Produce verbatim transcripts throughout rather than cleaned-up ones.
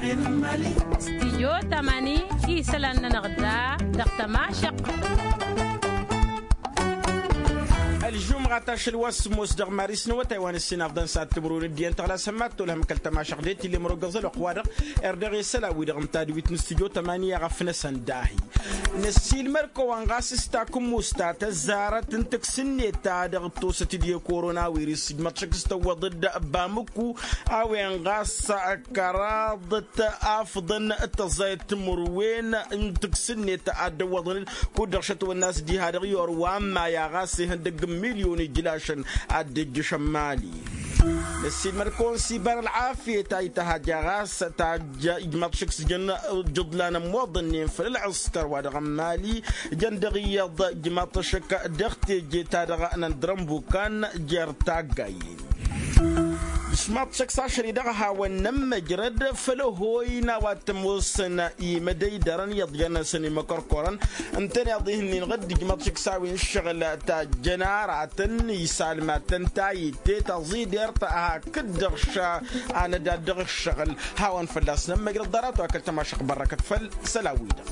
Stijyo tamani isălan-nănăɣ da dăɣ-tămašăɣt. Ălžumɣa tašăl wa s-sǝmmos dăɣ-maris n-awătay wa n-ǝssin afḍăn s-ad-timǝrwen d-iyyăn tăɣlas hămmat tolhăm kăl-tămašăɣt d-e-t ill'-e mărogăẓ ălwăqq-wa-dăɣ. Erdăɣ i-isălan-wi-dăɣ n-tadwit n-stijyo tamani a ɣăf-năsăn dahi năssiilmăd-kăwăn ɣas s-takǝmmusta tăzzarăt n-tǝks-net ta dăɣ-tosăt-dd i-korona wirǝs ǝjmăḍ šăkk s-tăwwăḍ-dd bamǝkku a-wen ɣas kăraḍăt afḍăn d-tăẓẓayăt timǝrwen n-tǝks-net a dd-ăwwăḍăn-dd kud-dăɣ šătwănna a-s diha-dăɣ i-orwa n-maya ɣas ihăndăgg n-milyon ijlašăn a dd-ijjǝšăn mali. Năssiilmăd-kăwăn s-iba n-ălɣafyăt a ităhăjja ɣas tajja ijmăḍ šăkk s-jăn ǝjǝḍlan ămmoḍănnen făll-ălɣǝskăr wa dăɣ-n mali jăn dăɣ-iyyăḍ ijmăḍ šăkk dăɣ-teje ta dăɣ-năndărăn bukan jer-taggayen. Ijmăḍ šăkk s-ašăl-i-dăɣ a hawăn-nămmăjrăd făll-ăhoy n-a-wa t-ămoosăn imădăydărăn iyyăḍ jăn-năsăn imăkărkorăn ǝntăneḍ ihǝnnin ɣǝdd ijmăḍ šăkk s-a-wen ǝššăɣǝl tajjăn aratăn isalmatăn ta itte taẓidert hakd-dăɣ ša anădad dăɣ-ǝššăɣǝl. Hawăn-fălla-s nămmăjrăd ḍarăt wa kăl-tămašăɣt bărrăkăt făll-isălan-wi-dăɣ.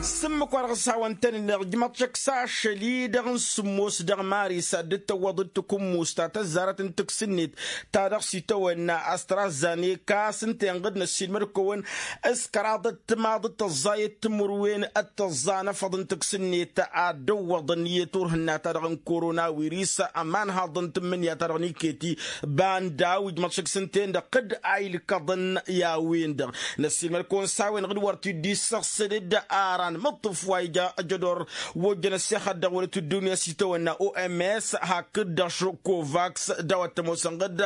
S-ǝmmǝk wa dăɣ-s hawăn-tăn-ǝnneɣ ǝjmăḍ šăkk s-ašăl-i-dăɣ n-sǝmmos dăɣ-maris a dd-tăwwăḍ d-takǝmmust ta tăzzarăt n-tǝks-net ta dăɣ-s itawănna astrazzaneka s-ǝnta inɣǝd năssiilmăd-kăwăn s-kăraḍăt timaḍ d-tăẓẓayăt timǝrwen d-tăẓẓa n-afăḍ n-tǝks-net a dd-ăwwăḍăn i-turhǝnna ta dăɣ-n korona wirǝs ămanhaḍăn tǝmmǝnǝya ta dăɣ-niketi banda wi ǝjmăḍ šăkk s-ǝnta-en-dăɣ d-a ilkăḍăn i-a-wen-dăɣ. Năssiilmăd-kăwăn s-a-wen-dăɣ d-wăr t-dd-issăɣsăd d-aran mǝṭṭǝf wa ija ăjădor wa ojjăn ăssexăt dăɣ-wălăt ăddunya s-itawănna oms hakd-dăɣ šukovaks d-a-wa t-ămoosăn ɣǝd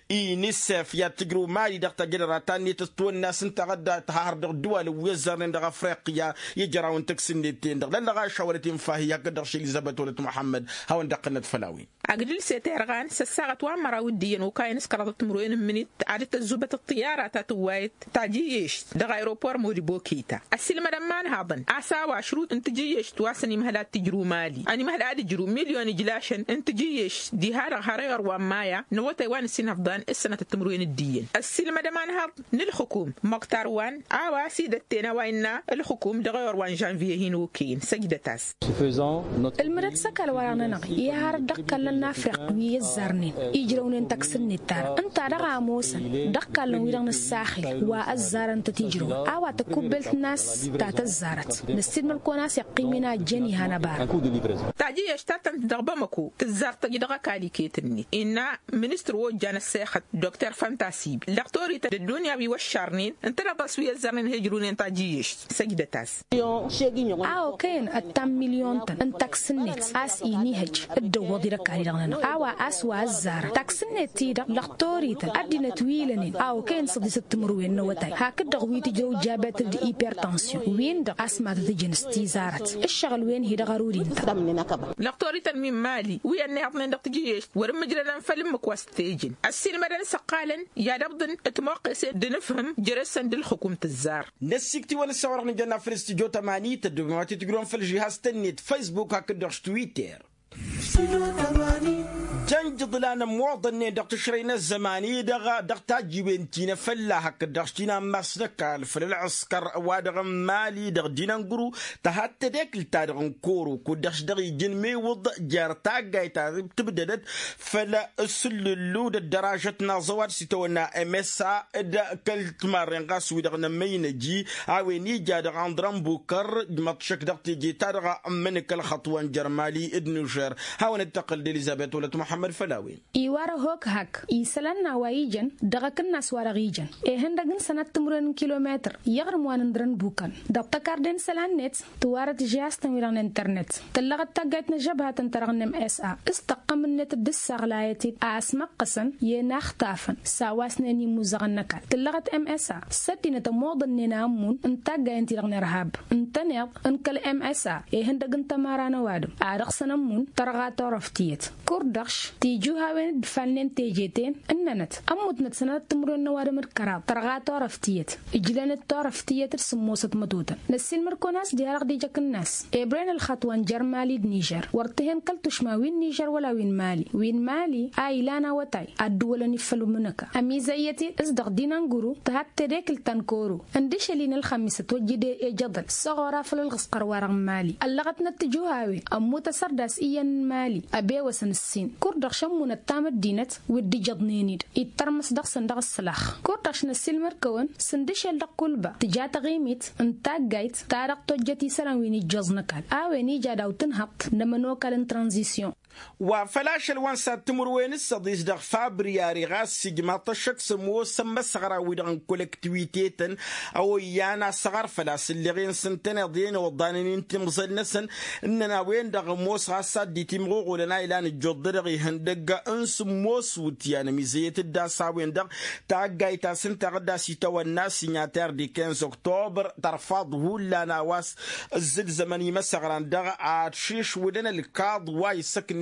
inisef i-ad-tǝjrǝw mali dăɣ-tajjădăra ta-net ăstwănna s-ǝnta ɣǝd tăhahăr dăɣ-ǝddǝwalăn wi ăzzarnen dăɣ-afriqya i-ijărawăn tǝks-net-ten-dăɣ lăllăɣaš a wălăt infa hi-hakd-dăɣ šel izabăt wălăt muḥămmăd. Hawăn-dd-ăqqǝnnăt făll-a-wen. Agdǝl s-e-terɣan s-ăssaɣăt wa n-măraw d-iyyăn okayăn s-kăraḍăt timǝrwen n-imǝnit ad-dd-tăzzubăt ăṭṭiyara ta tǝwwayăt tajǝyyešt dăɣ-aeropor modibokita ăssiilmădăn ma n-haḍăn a-s a-wa ašrut n-tajǝyyešt wa s-ănimhăl ad-t-ijrǝw mali ănimhăl ad-ijrǝw milyon ijlašăn n-tajǝyyešt diha-dăɣ har i-orwa n-maya n-awătay wa n-ǝssin hăfḍan s-sănatăt timǝrwen d-iyyăn. Ăssiilmădăm anhăḍ n-ǝlxǝkum măktar wa n-a-wa s-idătten a-wa innă ǝlxǝkum dăɣ-i orwa n-žănviye hin-okăyăn săjdăt-as. Ǝlmǝdăt s-ăkall-wa-dăɣ-nănăɣ i-ad-harăt dăɣ-ikallăn n-afriq wi ăzzarnen ijrăwnen taks-net-ta-dăɣ ǝnta dăɣ-a ămoosăn dăɣ-ikallăn-wi-dăɣ n-ǝssaxil wa ăzzarăn-tăt ijrăwăn a-wa tăkubbelt n-a-s ta tăzzarăt. Năssiilmăd-kăwăn a-s iqqim-in a ăjjeen ihăn ăbara. Tajǝyyešt ta tăn-dd-dăɣ bamăko tǝzzar tăjj dăɣ-ăkall iket-net innă ministăr wa ojjan ăssexăt dokter făntasib lăxtorităn d-ăddunya wi wăššarnen ǝntăneḍ a-s wi ăzzărnen he-ǝjrǝwnen tajǝyyešt. Săjdăt-as. A okăyăn ăttam milyon-tăn n-taks-net a-s inihăj dd-ăwwăḍ-dd ăkall-i-dăɣ-nănăɣ a-wa a-s wa ăzzarăn taks-net-ti-dăɣ lăxtorităn ăddinăt wi ilănen a okăyăn săḍisăt timǝrwen n-awătay hakd-dăɣ wi tǝjrăw jabet d-ipertansyon-win-dăɣ a-s matăt-ǝjǝn s-tizarăt ǝššăɣǝl-wen-hi dăɣ-ărud-in-tăn. Lăxtorităn wi n-mali wi ănnihaḍnen dăɣ-tajǝyyešt wăr-ǝmmǝjrădăn făll-ǝmmǝk wa s-t-ejăn ăssiilmădăn s-ăqqalăn i-ad-ăbḍǝn timwăqqesen d-nǝfhǝm jere-săn d-ǝlxǝkum tǝzzar. Năssikt'-iwăn ǝssa wa-dăɣ nǝjănna făll-studyo tămani tăddoobem ad-t-tǝjrǝwăm făll-žihaz-tăn-net facebook hakd-dăɣ s-twitter. Jăn jǝḍlan ămmoḍănnen dăɣ-tǝšrăy n-ăzzăman-i-dăɣ dăɣ-tajjiwen ti n-afălla hakd-dăɣ s-ti n-ammas n-ăkall făll-ălɣǝskăr wa-dăɣ n-mali dăɣ-dinăngru tăhadd tedekǝlt-ta-dăɣ n-koro kud-dăɣ s-dăɣ-ijǝn miwǝḍ jer-taggayt ta tǝbdădăt făll-asǝllǝllu d-ăddăražăt n-aẓăwad s-itawănna msa d-kăl-timarren ɣas wi-dăɣ n-ămmăynăji a-wen ija dăɣ-andrăn bukăr ǝjmăḍ šăkk dăɣ-teje-ta-dăɣ ămmănǝk ălxăṭṭ wa n-jer-mali d-nužer. Hawăn-dd-tăqqǝl d-elizăbet wălăt muḥămmăd făll-a-wen. Iwar ăhok hak isălan n-a-wa ijăn dăɣ-akǝnnas-wa-dăɣ ijăn ihăndăg n-sănat timǝrwen n-kilometăr i-aɣrǝm wa n-indăr n-bukan dăɣ-tăkard i-n isălan-net. Tǝwarăt žihaz-tăn-wi-dăɣ n-internet tǝllăɣăt taggayt n-ăžžăbhatăn-ta-dăɣ n-msa s-tăqqăm-net dd-ǝssaɣlayăt-dd a ăsmăqqăsăn i-inaxtafăn s-a-wa s-năyăn imuzăɣăn n-ăkall tǝllăɣăt msa s-ăddinăt ămoḍănnen a ǝmmun n-taggayen-ti-dăɣ n-irhab ǝntăneḍ n-kăl-msa ihăndăg n-tămăra n-ăwadǝm a dăɣ-săn ămmun tărɣa. Turăft tiyyăt kurdăɣš tijuhawen d-falnen teje-ten ǝnnănăt ămmutnăt sănatăt timǝrwen n-ăwadǝm d-kăraḍ tărɣa turăft tiyyăt. Ǝjlăn-dd turăft tiyyăt d-sǝmmosăt mătotăn năssiilmăd-kăwăn a-s diha-dăɣ d-ijăk ǝnnas ebren ălxaṭ wa n-jer-mali d-nižer wăr t-hen kăl-tušma wi n-nižer wăla wi n-mali wi n-mali a ilan awătay ad-dd-wălăn ifăll-umǝnăka ămizăyyăt-i s-dăɣ dinănguru tǝhat tedekǝlt ta n-koro ǝndǝšăl-i n-ălxămmis ătwăjjǝd ejăḍăl s-ăɣora făll-ălɣǝsqăr-wa-dăɣ n-mali ăllăɣătnăt tǝjuhawe ămmut asărdas iyyăn n-mali ăbewăsăn ǝssin kurdăɣš ămmunăt tamăddinăt wi dd-ijăḍnen-dd ittărmǝs dăɣ-săn dăɣ-ǝssǝlax kurdăɣš năssiilmăd-kăwăn s-ǝndǝšel dăɣ-kulba tǝja taɣimit n-taggayt ta dăɣ-tojjăt isălan wi n-ijjoẓ n-ăkall a-wen ija daw-tǝnhăḍt n-ămănokal n-tranzisyon. Wa făl ašăl wa n-sad timǝrwen d-săḍis dăɣ-fabriyari ɣas ijmaḍ-t ăššăk s-ămoos ămmăsăɣra-wi-dăɣ n-kolăktiwite-tăn a oyyan asăɣăr făl-a-s ǝlleɣ-en s-ǝntăneḍ i-ănoḍanăn-in timẓal-năsăn ǝnnăn a-wen-dăɣ ămoos ɣas ad-dd-itimɣuɣulăn a ilan ǝjjuḍ-dăɣ ihăndăgg n-sǝmmos wǝtyan ămizăyyăt-dd a-s a-wen-dăɣ taggayt ta s-ǝnta a dăɣ-dd-as itawănna sinyater di kinz oktobăr tărfaḍ hullan a-wa s-ǝzzǝlzămăn imăsăɣran-dăɣ ad-šišwǝdăn ălkaḍ wa isăknen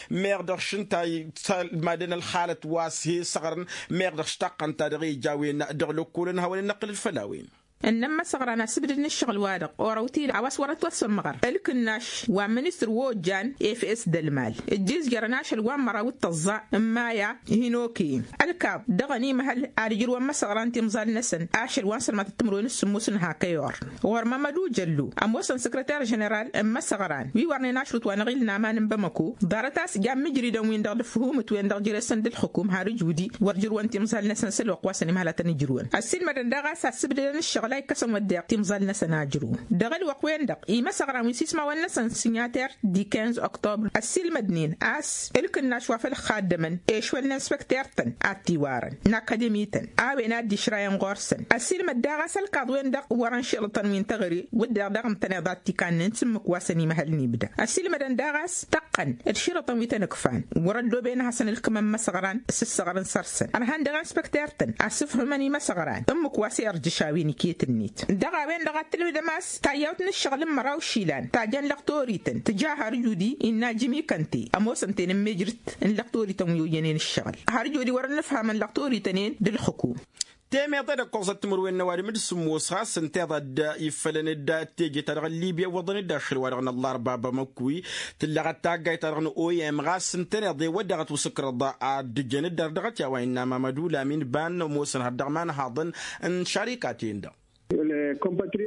meɣ dăɣ-šǝnta i-talmadăn ălxalăt wa s-he-săɣrăn meɣ dăɣ-štaqqăn ta dăɣ-ija a-wen dăɣ-lăkkolăn hawăn-in-năqqǝlăl făll-a-wen. Ǝnnăn imăsăɣran asǝbdǝd n-ǝššăɣǝl-wa-dăɣ orawt-i a-wa s-wărăt wăr-sămmăɣăr ǝlkǝnnaš wa n-ministăr wa ojjan efes d-ălmal ǝjjǝzjărăn ašăl wa n-măraw d-tăẓẓa n-maya hin-okăyăn ălkaḍ dăɣ-ănimăhăl ad-ǝjrǝwăn imăsăɣran timẓal-năsăn ašăl wa n-sălmatăt timǝrwen s-sǝmmos n-hak ăyor ɣur-mămmăd ujăllu ămoosăn săkrăter ženeral n-imăsăɣran wi wărnen ašrut wa n-aɣil n-aman n-bamăko ḍarăt a-s jan imǝjridăn-win-dăɣ d-ǝfhumǝt-wen-dăɣ jere-săn d-ǝlxǝkum har ǝjudi wăr jǝrǝwăn timẓal-năsăn s-ălwăqq wa s-ănimhăl ad-tăn-ǝjrǝwăn ăssiilmădăn daɣ a-s asǝbdădăn ǝššăɣǝl a ikkăsăn wădden timẓal-năsăn a ǝjrǝwăn dăɣ-ălwăqq-wen-dăɣ imăsăɣran wi s-ismawăn-năsăn sinyater di kinz oktobăr ăssiilmădnen a-s ǝlkǝnnaš wa făl ǝxxaddămăn ešwăl n-inspekter-tăn ad-t-iwarăn n-akademi-tăn a-wen a dd-išrayăn ɣur-săn ăssiilmăd daɣ a-s ălkaḍ-wen-dăɣ wărăn šilătăn wi n-teɣăre wădden dăɣ-ǝntăneḍ ad-t-ikannen s-ǝmmǝk wa s-ănimăhăl n-ibda ăssiilmădăn daɣ a-s tăqqăn d-išilătăn wi tăn-ǝkfan wăr-ăddooben ad-hasăn-ǝlkǝmăn imăsăɣran s-ǝssăɣrăn săr-săn ărhan dăɣ-inspekter-tăn asǝfhǝmăn imăsăɣran ǝmmǝk wa s-irjǝš a-wen iket-net dăɣ-a-wen-dăɣ ad-tǝlmǝdăm a-s tayyawt n-ǝššăɣǝl n-măraw išilan ta jăn lăqtorităn tǝja har judi innă jimikănte ămoosăn-ten n-mejrǝt n-lăqtorităn wi oyyănen ǝššăɣǝl har judi wăr-ănnǝfhamăn lăqtorităn-en d-ǝlxǝkum. Temeḍe d-ǝkkoẓăt timǝrwen n-ăwadǝm d-sǝmmos ɣas ǝnta iḍa dd-ifălăn-dd teje-ta-dăɣ n-libya iwwăḍăn-dd ašăl-wa-dăɣ n-ăllarba bamăkwi tǝllăɣăt taggayt-ta-dăɣ n-oyem ɣas ǝntăneḍ i-wădden ad-t-wǝsǝkrăḍ ad-dd-ǝjăn-dd ar dăɣ-t i-a-wa innă mamădu lamin ban ămoosăn har dăɣ-imanhaḍăn n-šarikaten-dăɣ.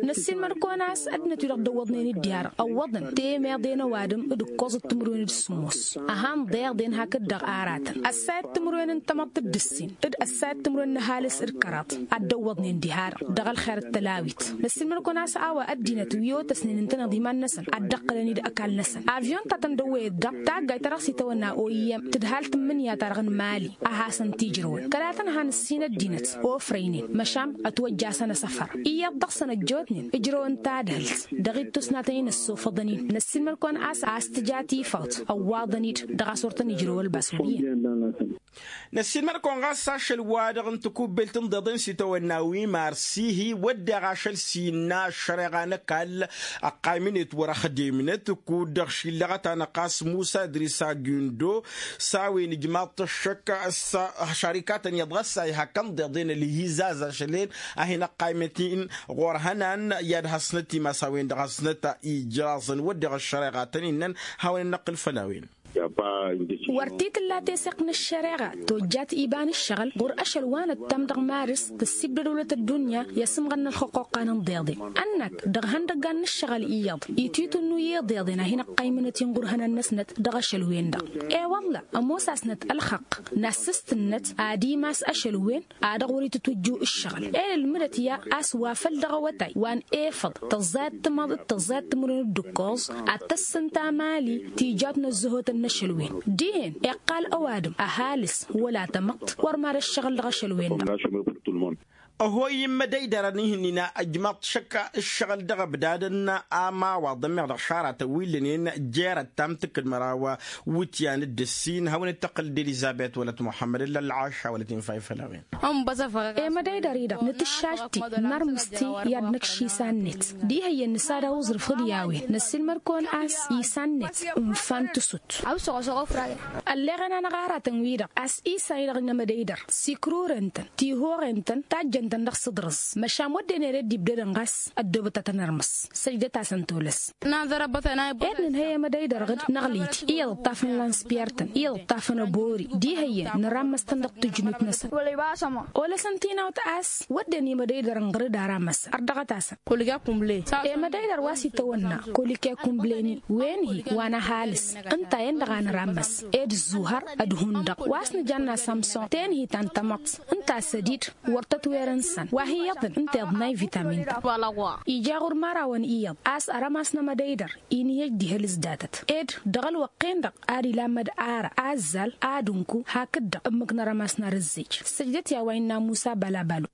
Năssiilmăd-kăwăn a-s ăddinăt-wi-dăɣ dd-ăwwăḍnen dd-iha-dăɣ ăwwăḍăn temeḍe n-ăwadǝm d-ǝkkoẓăt timǝrwen d-sǝmmos. Ăhan ḍeḍen hakd-dăɣ aratăn ăssayăt timǝrwen n-tamăḍt d-ǝssin d-ăssayăt timǝrwen n-ăhalǝs d-kăraḍ ad-dd-ăwwăḍnen diha-dăɣ dăɣ-ălxer d-tălawit. Năssiilmăd-kăwăn a-s a-wa ăddinăt wi otăsnen ǝntăneḍ iman-năsăn ad-dd-ăqqǝlăn-dd ăkall-năsăn avyon ta tăn-dd-ăwwăyăt daɣ taggayt ta dăɣ-s itawănna oyem tǝdhal tǝmmǝnǝya-ta-dăɣ n-mali a hasăn-t-ijrǝwăn kăla-tăn han ǝssin ăddinăt ofrăynen măšan ătwăjja-săn asăfăr iyyăḍ dăɣ-săn ăjjootnen ǝjrăwăn tadhǝlt dăɣ-ittus n-ad-tăn-in-ăssofăḍăn-in. Năssiilmăd-kăwăn a-s a-s tǝja tifawt ăwwaḍăn-dd dăɣ-a-s wăr tăn-ijrǝw ălbas wăr iyyăn. Năssiilmăd-kăwăn ɣas ašăl-wa-dăɣ n-tikubbelt n-iḍeḍen s-itawănna wi marsihi wădden ašăl s-innă ăššăreɣa n-ăkall ăqqaymăn-et wăr-ăxdemnăt kud-dăɣ šillăɣăt-anăɣ ɣas musa idris agindo s-a-wen ijmaḍ-t ăššăk s-šarikatăn iyyăḍ ɣas a ihăkkăn iḍeḍen ălhizaz ašăl-en a hin-ăqqaymăt-in ɣur-ihănan i-ad-hasnăt imas a-wen-dăɣ hasnăt ijraẓăn wădden ăššăreɣa a tăn-innăn hawăn-in-năqqǝl făll-a-wen. Wăr t-tǝlla teseɣt n-ăššăreɣa tojjat iba n-ǝššăɣǝl ɣur-ašăl wa năttam dăɣ-marǝs tăssibdăd wălăt ăddunya i-asǝmɣăn n-ălxuquqqa n-inḍeḍen ănnak dăɣ-ihăndăggan n-ǝššăɣǝl iyyăḍ itwǝytǝnnu i-iḍeḍen a hin-ăqqaymănăt-in ɣur-ihănan-năsnăt dăɣ-ašăl-wen-dăɣ. I-wălla ămoos-asnăt ălxăqq n-assǝstǝnnăt ad-imas ašăl-wen a dăɣ-wăr-itǝtwǝjju ǝššăɣǝl. Elălmǝdăt i-a a-s wa făl dăɣ-awătay wa n-efăḍ tăẓẓayăt timaḍ d-tăẓẓayăt timǝrwen d-ǝkkoẓ ad-tăssǝnta mali tijawt n-ăzzăhotăn n-ašăl-wen. Dihen iqqal ăwadǝm ăhalǝs wăla tamăḍt wăr mad-ăššăɣǝl dăɣ-ašăl-wen-dăɣ. Ăhoy imădăydărăn ihǝnnin a ǝjmaḍ šăkk ǝššăɣǝl dăɣ-ăbdadăn amawaḍăn meɣ dăɣ-šaratăn wi ǝllănen jer-ăttam tǝkkǝd măraw wǝtyan d-ǝssin hawăn-dd-tăqqǝl d-elizăbet wălăt muḥămmăd ǝlla ălɣaša wălăt infa ifăl a-wen. Emădăydăr-i-dăɣ nǝtǝššaš-t-i nărmǝs-t-i i-ad-nǝkš isan-net diha iyyăn nǝsad a-wa uẓrǝf d-i-a-wen năssiilmăd-kăwăn a-s isan-net ǝnfan tǝsut. Ălleɣăn-anăɣ aratăn-wi-dăɣ a-s isan-i-dăɣ n-emădăydăr sikrurăn-tăn tihoɣen-tăn tajjăn-tăn dăɣ-sǝḍrǝẓ măšan wădden ere dd-ibdădăn ɣas ăddoobăt ad-tăn-ărmăs. Săjdăt-asăn tolăs. Ed nǝnhăy emădăydăr ɣǝd năɣlit iyyăḍ ǝṭṭafăn lanspiyar-tăn iyyăḍ ǝṭṭafăn ăbori diha iyyăn nǝrammăs-tăn dăɣ-tǝjnut-năsăn. Olăsăn tinawt a-s wădden imădăydărăn ɣǝr-dd arammăsăn ărdăɣăt-asăn. Emădăydăr wa s-itawănna kolike kunbleni wen-hi wa n-ăhalǝs ǝnta-en-dăɣ a nǝrammăs ed ǝzzuhăr ădhundăɣ wa s-nǝjanna samson tenhi ta n-tamăḍt ǝnta a-s ădid wăr tătweren săn wa hi-iyyăḍăn ǝnta iḍnay vitamin-tăn. Ija ɣur-imărawăn iyyăḍ a-s ărămas n-emădăydăr inǝyăj diha ălǝzdatăt ed dăɣ-ălwăqq-en-dăɣ ad-ilamăd ara azzal ad-ǝnku hakd-dăɣ ǝmmǝk n-arămas n-arǝzzej. Săjdăt i-a-wa innă musa balabalu.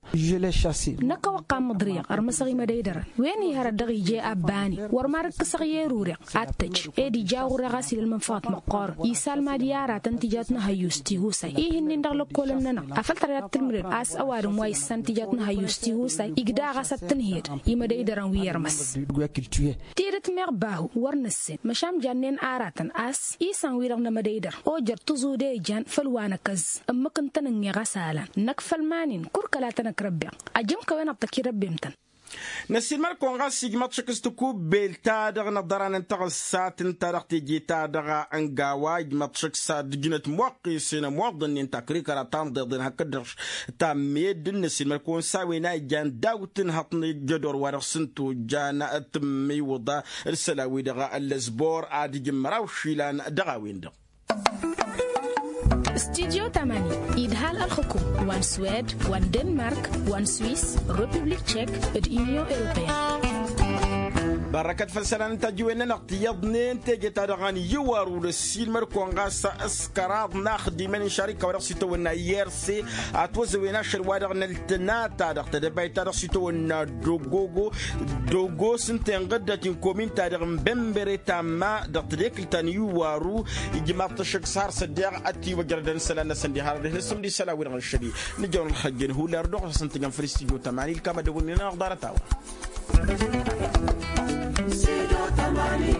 Năkk a-wa ǝqqam măḍriyăɣ ărmăsăɣ imădăydărăn wen-i hărăt dăɣ-ije abbani wăr mad-ǝkkǝsăɣ i-erureɣ ad-tăj ed ija ɣur-e ɣas ila ălmănfăɣăt măqqoorăn isalmad i-aratăn tijawt n-ehăyyus tihusay ihǝnnin dăɣ-lăkkolăn-nănăɣ. Afăl tărăyăt tǝlmǝdăd a-s ăwadǝm wa issan tijawt n-ehăyyus tihusay igda ɣas ad-tǝnhed imădăydărăn wi ărmăs. Tidǝt meɣ bahu wăr nǝssen măšan jannen aratăn a-s isan-wi-dăɣ n-emădăydăr ojăr tǝẓude ijan făll-wa năkăz ǝmmǝk ǝntănănne ɣas alan năkk făll-iman-in kurkăl ad-tăn-ăkrăbbeɣ. Ajǝm-kăwăn ad-tăkirăbbem-tăn. Năssiilmăd-kăwăn ɣas ijmăḍ šăkk s-tikubbelt-ta-dăɣ n-ăḍḍăran n-taɣǝssat ǝnta-dăɣ teje-ta-dăɣ n-gawa ijmăḍ šăkk s-ad-ǝjnăt muqqisen ămoḍănnen takrikăra ta n-iḍeḍen hakd-dăɣ tammedden năssiilmăd-kăwăn s-a-wen a ijan daw-tǝnhăḍt n-ejădor wa dăɣ-s n-tojjan tǝmmiwǝḍa d-isălan-wi-dăɣ ăllăzbor ad-ǝjǝn măraw išilan dăɣ-a-wen-dăɣ. Studyo tamani idhal ălxǝkum wa n-swed wa n-denmark wa n-swis, republik tšek d-unyon europeyăn. Bărrăkăt făll-isălan n-tajǝwen-nănăɣ tiyyăḍnen teje-ta-dăɣ n-iwaru d-ăssiilmăd-kăwăn ɣas s-kăraḍ n-axdimăn n-šarika wa dăɣ-s itawănna irse. Atwăzăwen ašăl wa dăɣ-năl tǝnata dăɣ-tedăbayt ta dăɣ-s itawănna dogogo dogos ǝnta inɣǝddăt inkomin-ta-dăɣ n-bembere tamma dăɣ-tedekǝlt ta n-iwaru. Ijmaḍ-t ăššăk s-har s-ăddeɣ ătiwăjrădăn isălan-năsăn diha-dăɣ dihen-s ǝmdǝy isălan-wi-dăɣ n-šăli. Nǝjrăwăn ălxăjjăn hullar dăɣ-ɣas ǝntăjăn făll-istudyo tămani ǝlkam ad-dăwwănnin-anăɣ ḍarăt-a-wa. Studyo tămani.